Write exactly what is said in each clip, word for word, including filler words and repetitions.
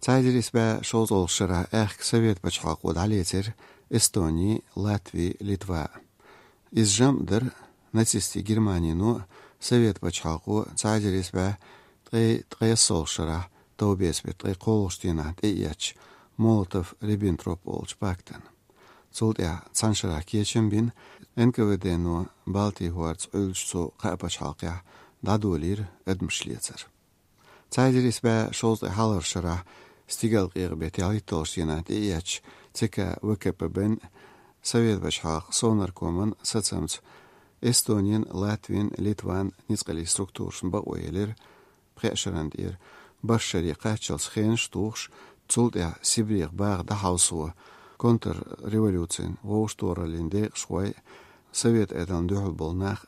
Цхьа эзар исс бӀе шовзткъе ткъаь шолгӀа шера аьхка Совет пачхьалкхо дӀалецира Эстони, Латви, Литва. Иза жамӀ дара нацистийн Германино Совет пачхьалкхо цхьа эзар исс бӀе ткъаь ткъаь шолгӀа шера товбеса бетта ткъаь кхоалагӀча дийнахьа тӀеэцнача Молотов-Риббентроп олуча пактана. Цул тӀаьхьа цхьан шарахь кечам бина, Н К В Д-но Балтийн хӀорца Ӏуьллучу цу кхаа пачхьалкхехь дӀадолийра адамаш лецар. Цхьа эзар исс бӀе шовзткъе хьалхарчу шарахь стигалкъекъа беттан ялхитталгӀачу дийнахьа тӀеэцнача Ц К В К П Б-н, Совет пачхьалкхан Совнаркоман сацамца Эстонин, Латвин, Литван ницкъаллин структурашна бакъо елира пхеа шарна тӀера бархӀ шаре кхаччалц хенаш а тухуш, цул тӀаьхьа Сибрех баха дӀахьовсо, контрреволюцин вовшахтохараллин декъашхой, Совет Ӏедална дуьхьал болу нах,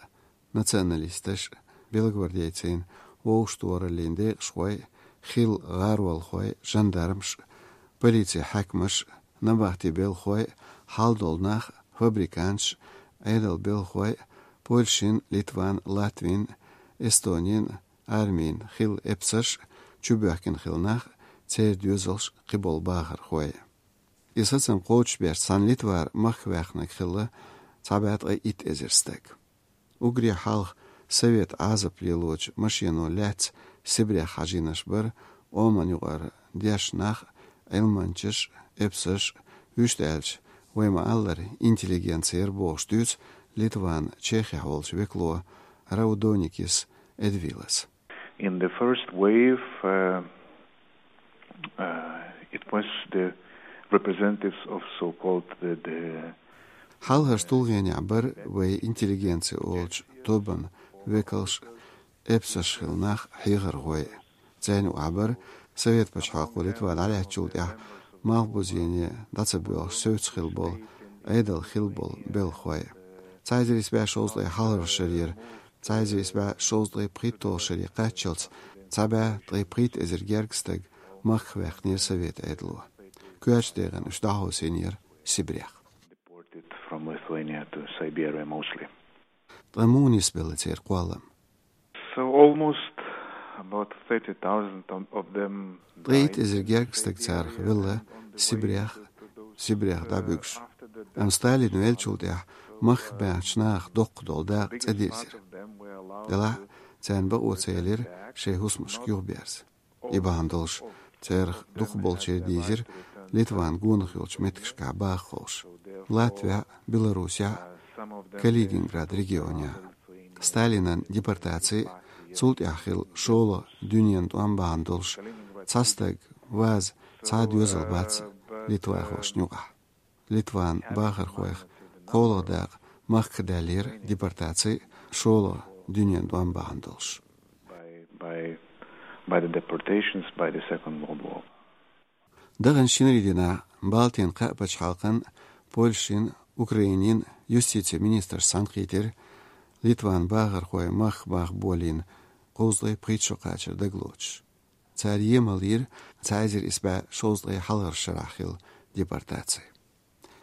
националисташ, белогвардейцийн вовшахтохараллин декъашхой, хилла гӀаролхой, жандармаш, полицин хьаькамаш, набахтин белхалой, хьал долу нах, фабриканташ, Ӏедалан белхалой, Польшин, Литван, Латвин, Эстонин армин хилла эпсарш, чубоьхкина хилла нах, церан доьзалш, кхиболу бахархой. И сацам кхочушбеш цхьана Литвара махках ваьхнарг хилла цхьа бӀе ткъаь итт эзар стаг. Уггаре хьалха совет Ӏазап лелочу машено лаьцна Сибрех хьажийнарш бара Ӏоман юкъара дешна нах, Ӏилманчаш, эпсарш, вуьшта аьлча, вай ма-аллара, интеллигенци яра бохуш дуьйцу Литван Чехехь волчу векало Раудоникис Эдвилас. In the first wave, uh, uh, it was the representatives of so-called the, the Хьалхарчу тулгӀенехь бара вай интеллигенци олучу тобан векалш, эпсарш хилла нах, хьехархой. Царна юкъахь бара Совет пачхьалкхо Литва дӀалаьцначул тӀаьхьа малхбузене дӀа ца боьлхуш севцца хилла болу, Ӏедалан хилла болу белхалой. Цхьа эзар исс бӀе шовзткъе хьалхарчу шарера цхьа эзар исс бӀе шовзткъе пхийтталгӀачу шаре кхаччалц цхьа бӀе ткъаь пхийтта эзар гергга стаг махках ваьккхинера Совет Ӏедало. Коьртачу декъана уьш дӀахьовсийнера Сибрех. Deported from Lithuania to Siberia mostly. Ткъа муха нисбелла церан кхоллам? So almost about thirty thousand of, of them Ткъаь итт эзар гергга стаг царах велла Сибрех, Сибрех дӀабуьгуш. Амма Сталин веллачул тӀаьхьа махках баьхначу нахах доккха долу дакъа цӀа дирзира. Делахь царна бакъо ца елира шайн хӀусамашка юхаберза. И бахьана долуш царах дукхахболчеран дийзира Литван гонах йолчу меттигашкахь баха ховш: Латвехь, Беларусехь, Калининград регионехь. Сталинан депортаци, цул тӀаьхьа хилла шолгӀа дуьненан тӀом бахьана долуш, цхьа стаг, ваза, цхьа доьзал бац литвахошна юкъахь. Литван бахархойх кхоалгӀа дакъа махках даьллера депортаци, шолгӀа дуьненан тӀом бахьана долуш. By, by, by the deportations, by the Second World War. Даханчу шинарин дийнахь Балтийн кхаа пачхьалкхан, Польшин, Украинин юстицин министраш цхьаьнакхийтира Литван бахархой махках баха болийна кхузткъе пхийтта шо кхачар дагалоцуш. Цара емал йира цхьа эзар исс бӀе шовзткъе хьалхарчу шарахь хилла депортаци.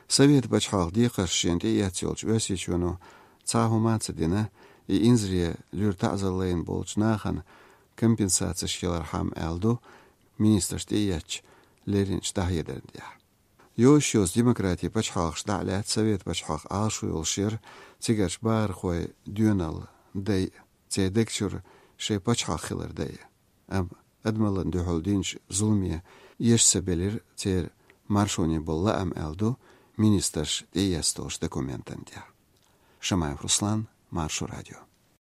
Совет пачхьалкхан декхарш шена тӀеэцна йолчу Оьрсийчоьно цхьа хӀума а ца дина, и инзаре луьра таӀзар лайна болчу нахана компенсацеш ялархьама, аьлла ду министраш тӀеэцначу лерринчу дӀахьедарна тӀехь. Йозуш йоцу демократин пачхьалкхаш дӀа а лаьцна, Совет пачхьалкх Ӏалашо йолуш яра цигарчу бахархойн доьналла дайа, церан дег чуьра шайн пачхьалкх хилар дайа. Амма адамаллина дуьхьал динчу зуламе эша ца белира церан маршоне болу лаам, аьлла ду министраш тӀеэцна долчу документана тӀехь. Шамаев Руслан, Маршо радио.